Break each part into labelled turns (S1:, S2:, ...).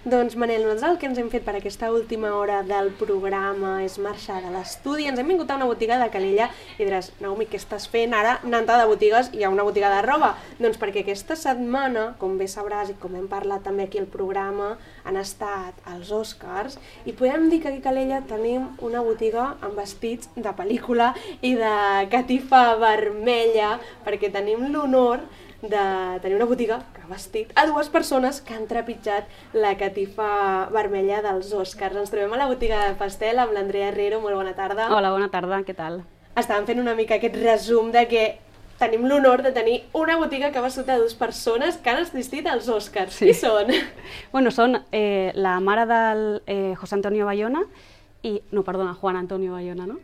S1: Doncs Manel, nosaltres el que ens hem fet per aquesta última hora del programa és marxar de l'estudi. Ens hem vingut a una botiga de Calella i diràs, Naomi, què estàs fent ara anant de botigues i a una botiga de roba? Doncs perquè aquesta setmana, com bé sabràs i com hem parlat també aquí al programa, han estat els Oscars i podem dir que aquí a Calella tenim una botiga amb vestits de pel·lícula i de catifa vermella, perquè tenim l'honor de tenir una botiga que ha vestit a dues persones que han trepitjat la catifa vermella dels Oscars. Ens trobem a la botiga de Pastel amb l'Andrea Herrero. Molt bona tarda.
S2: Hola, bona tarda, què tal?
S1: Estàvem fent una mica aquest resum de que tenim l'honor de tenir una botiga que ha vestit a dues persones que han assistit als Oscars. Sí. Qui són?
S2: Bueno, són la mare del José Antonio Bayona i... No, perdona, Juan Antonio Bayona, no?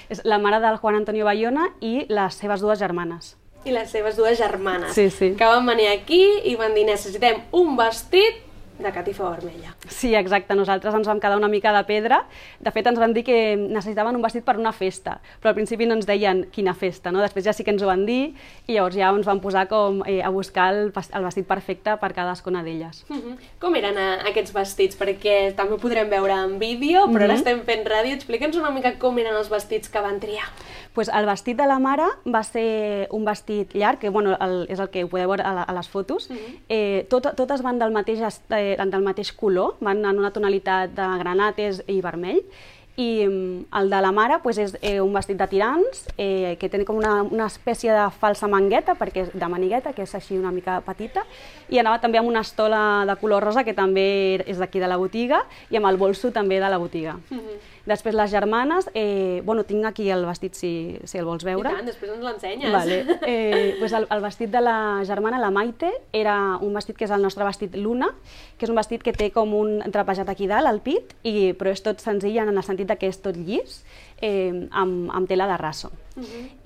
S2: És la mare del Juan Antonio Bayona i les seves dues germanes.
S1: I les seves dues germanes,
S2: sí.
S1: Que van venir aquí i van dir necessitem un vestit de catifa vermella.
S2: Sí, exacte, nosaltres ens vam quedar una mica de pedra. De fet, ens van dir que necessitaven un vestit per una festa, però al principi no ens deien quina festa, no? Després ja sí que ens ho van dir i llavors ja ens vam posar com a buscar el vestit perfecte per cadascuna d'elles.
S1: Com eren aquests vestits? Perquè també ho podrem veure en vídeo, però ara estem fent ràdio. Explica'ns una mica com eren els vestits que van triar.
S2: Pues el vestit de la mare va ser un vestit llarg, que bueno, és el que ho podeu veure a les fotos. Totes van del mateix color, van en una tonalitat de granates i vermell. I el de la mare pues, és un vestit de tirants, que té com una espècie de falsa mangueta, perquè és de manigueta, que és així una mica petita, i anava també amb una estola de color rosa, que també és d'aquí de la botiga, i amb el bolso també de la botiga. Després les germanes, bueno, tinc aquí el vestit si el vols veure.
S1: I tant, després ens l'ensenyes.
S2: Vale. Pues el vestit de la germana, la Maite, era un vestit que és el nostre vestit Luna, que és un vestit que té com un trapejat aquí dalt, al pit, però és tot senzill en el sentit que és tot llis, amb tela de raso.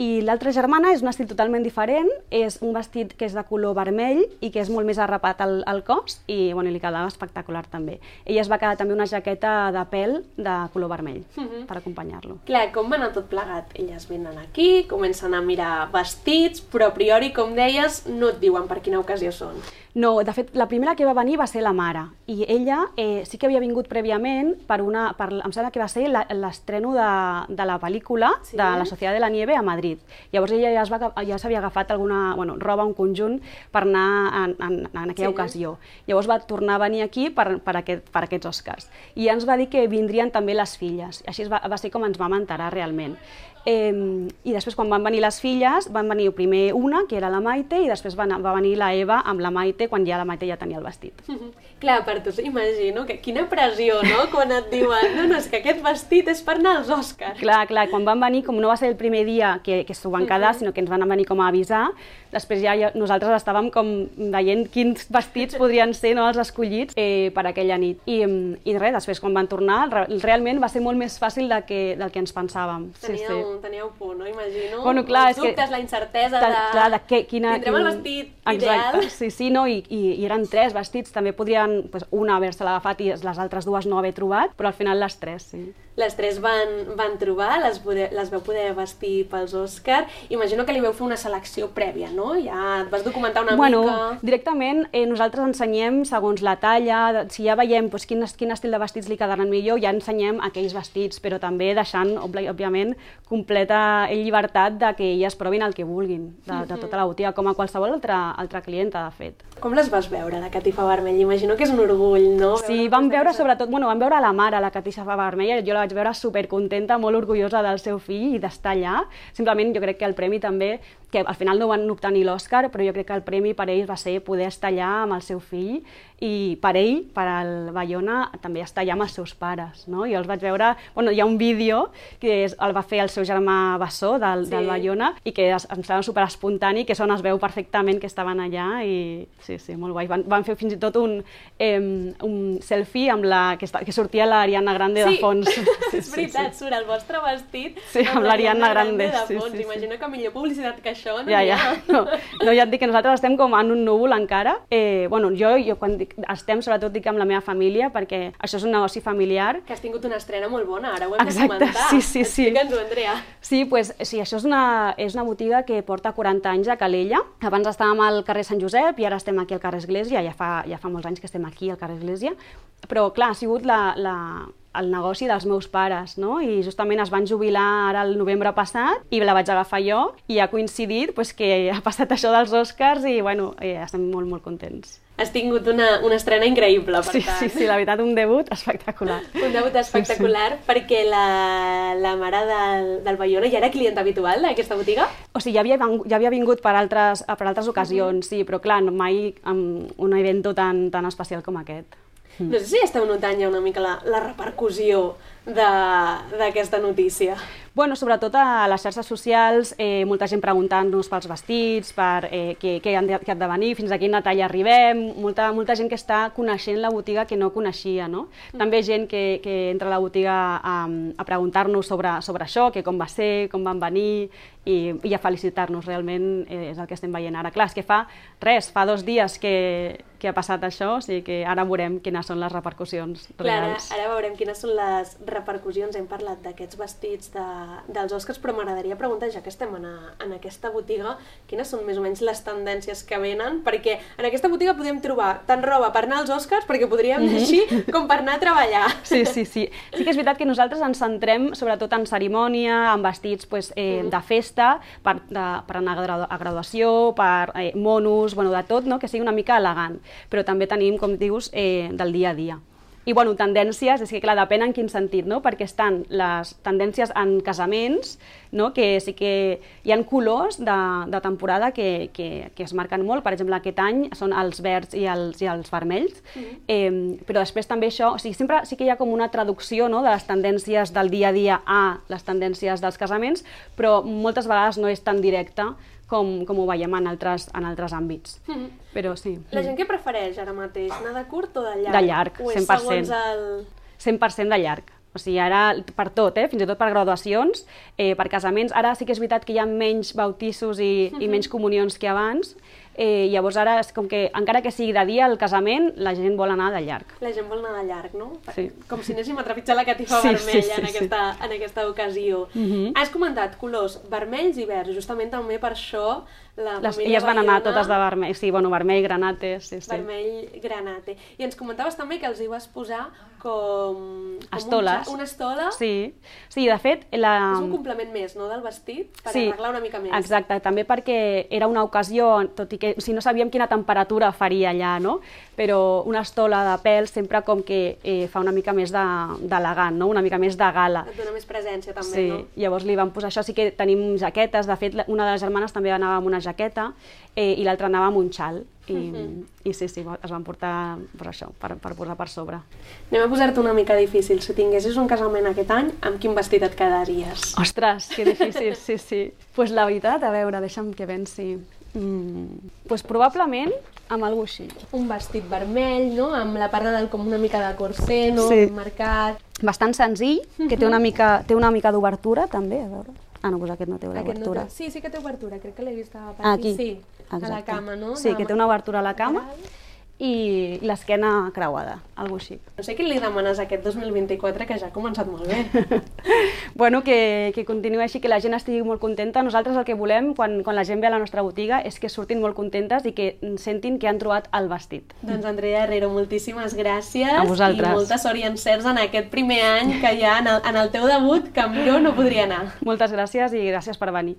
S2: I l'altra germana és un estil totalment diferent, és un vestit que és de color vermell i que és molt més arrapat al cos i li quedava espectacular també. Ella es va quedar també una jaqueta de pèl de color vermell per acompanyar-lo.
S1: Clar, com va anar tot plegat? Elles venen aquí, comencen a mirar vestits, però a priori, com deies, no et diuen per quina ocasió són.
S2: No, de fet, la primera que va venir va ser la mare, i ella sí que havia vingut prèviament em sembla que va ser l'estreno de la pel·lícula de La Sociedad de la Nieve a Madrid. Llavors ella ja s'havia agafat alguna roba, un conjunt, per anar en aquella ocasió. Llavors va tornar a venir aquí per aquests Oscars. I ja ens va dir que vindrien també les filles. Així va ser com ens vam enterar realment. I després quan van venir les filles, van venir primer una, que era la Maite, i després va venir la Eva amb la Maite, quan ja la Maite ja tenia el vestit.
S1: Clar, per tu imagino que quina pressió, no?, quan et diuen no, és que aquest vestit és per anar als Oscars.
S2: Clar, quan van venir, com no va ser el primer dia que s'ho van quedar, sinó que ens van venir com a avisar, després ja nosaltres estàvem com veient quins vestits podrien ser els escollits per aquella nit. I res, després quan van tornar, realment va ser molt més fàcil del que ens pensàvem.
S1: Teníeu por, no? Imagino.
S2: Bueno, clar,
S1: els dubtes, la incertesa de tindrem el vestit ideal.
S2: Exacte, sí, no? I eren 3 vestits, també podrien una haver-se l'agafat i les altres 2 no haver trobat, però al final les 3, sí.
S1: Les 3 van trobar, les veu poder vestir pels Oscars. Imagino que li veu fer una selecció prèvia, no? Ja et vas documentar una mica.
S2: Directament nosaltres ensenyem segons la talla, si ja veiem quin estil de vestits li quedaran millor, ja ensenyem aquells vestits, però també deixant, òbviament, completa llibertat de que elles provin el que vulguin de tota la botiga, com a qualsevol altra clienta, de fet.
S1: Com les vas veure, la catifa vermella? Imagino que és un orgull, no?
S2: Sí, vam veure sobretot, vam veure la mare, la catifa vermella, jo la vaig veure supercontenta, molt orgullosa del seu fill i d'estar allà. Simplement jo crec que el premi també, que al final no van obtenir l'Oscar, però jo crec que el premi per ells va ser poder estar allà amb el seu fill i per ell, per al Bayona, també estar allà amb els seus pares, no? Jo els vaig veure, hi ha un vídeo que el va fer el seu germà Bassó, del Bayona, i que em sembla superespontani, que es veu perfectament que estaven allà i sí, molt guai. Van fer fins i tot un selfie amb que sortia l'Ariana Grande de fons.
S1: És veritat, surt el vostre vestit
S2: amb l'Ariana Grande
S1: de fons. Imagino que millor publicitat que això això no
S2: Ja,
S1: n'hi
S2: ja.
S1: ha.
S2: No, ja et dic que nosaltres estem com en un núvol encara. Bueno, jo quan estem, sobretot dic amb la meva família, perquè això és un negoci familiar.
S1: Que has tingut una estrena molt bona, ara ho hem de
S2: Exacte,
S1: comentar.
S2: sí.
S1: Explica'ns-ho, Andrea.
S2: Sí, pues, sí, això és una botiga que porta 40 anys a Calella. Abans estàvem al carrer Sant Josep i ara estem aquí al carrer Església, ja fa molts anys que estem aquí al carrer Església. Però, clar, ha sigut el negoci dels meus pares, no? I justament es van jubilar ara el novembre passat i la vaig agafar jo i ha coincidit pues, que ha passat això dels Oscars i, bueno, estem molt, molt contents.
S1: Has tingut una estrena increïble, per tant.
S2: Sí, la veritat, un debut espectacular.
S1: Un debut espectacular, perquè la mare del Bayona ja era client habitual d'aquesta botiga?
S2: O sigui, ja havia vingut per altres ocasions, sí, però clar, mai amb un event tan especial com aquest.
S1: No sé si esteu notant ja una mica la repercussió d'aquesta notícia.
S2: Bueno, sobretot a les xarxes socials, molta gent preguntant-nos pels vestits, per què han de venir, fins a quina talla arribem, molta gent que està coneixent la botiga que no coneixia, no? També gent que entra a la botiga a preguntar-nos sobre això, que com va ser, com van venir, i a felicitar-nos, realment és el que estem veient ara. Clar, és que fa 2 dies que ha passat això, o sigui que ara veurem quines són les repercussions reals.
S1: Clar, ara veurem quines són les repercussions. Hem parlat d'aquests vestits dels Oscars, però m'agradaria preguntar, ja que estem en aquesta botiga, quines són més o menys les tendències que venen, perquè en aquesta botiga podem trobar tant roba per anar als Oscars, perquè podríem dir així, com per anar a treballar.
S2: Sí. Sí que és veritat que nosaltres ens centrem sobretot en cerimònia, en vestits de festa, per anar a graduació, per monos, de tot, que sigui una mica elegant. Però també tenim, com dius, del dia a dia. I, bueno, tendències, és que, clar, depèn en quin sentit, no? Perquè estan les tendències en casaments, no? Que sí que hi ha colors de temporada que es marquen molt. Per exemple, aquest any són els verds i els vermells, però després també això, o sigui, sempre sí que hi ha com una traducció, no? De les tendències del dia a dia a les tendències dels casaments, però moltes vegades no és tan directe com ho veiem en altres àmbits. Però sí.
S1: La gent què prefereix ara mateix? Anar de curt o de llarg?
S2: De llarg, 100%.
S1: O és segons el...
S2: 100% de llarg. O sigui, ara per tot, fins i tot per graduacions, per casaments. Ara sí que és veritat que hi ha menys bautiços i menys comunions que abans. Llavors ara és com que, encara que sigui de dia el casament, la gent vol anar de llarg.
S1: La gent vol anar de llarg, no?
S2: Sí.
S1: Com si anéssim a trepitjar la catifa vermella en aquesta ocasió. Has comentat colors vermells i verds, justament també per això la família
S2: Elles van anar totes de vermell, sí, bueno, vermell, granate, sí.
S1: Vermell, granate. I ens comentaves també que els hi vas posar com
S2: estoles.
S1: Una estola.
S2: Sí, de fet... És
S1: un complement més, no?, del vestit, per arreglar una mica més.
S2: Exacte, també perquè era una ocasió, tot i que no sabíem quina temperatura faria allà, no? Però una estola de pèl sempre com que fa una mica més d'elegant, no? Una mica més de gala.
S1: Et dona més presència també,
S2: sí.
S1: No?
S2: Llavors li vam posar això, sí que tenim jaquetes, de fet una de les germanes també anava amb una jaqueta i l'altra anava amb un xal. I sí, es van portar per això, per posar per sobre.
S1: Anem a posar-te una mica difícil. Si tinguessis un casament aquest any, amb quin vestit et quedaries?
S2: Ostres, que difícil, sí. Pues la veritat, a veure, deixa'm que pensi. Pues probablement amb algú així.
S1: Un vestit vermell, no? Amb la part de dalt com una mica de corset, no?
S2: Sí.
S1: Marcat.
S2: Bastant senzill, que té una mica d'obertura també, a veure. Ah, no, doncs aquest no té obertura.
S1: Sí que té obertura, crec que l'he vist a
S2: aquí.
S1: Sí,
S2: exacte.
S1: A la cama, no?
S2: Sí, que té una obertura a la cama i l'esquena creuada, algo així.
S1: No sé què li demanes a aquest 2024, que ja ha començat molt bé.
S2: Bueno, que continuï així, que la gent estigui molt contenta. Nosaltres el que volem, quan la gent ve a la nostra botiga, és que surtin molt contentes i que sentin que han trobat el vestit.
S1: Doncs Andrea Herrero, moltíssimes gràcies.
S2: A vosaltres.
S1: I molta sort i encerts en aquest primer any que hi ha en el teu debut, que millor no podria anar.
S2: Moltes gràcies i gràcies per venir.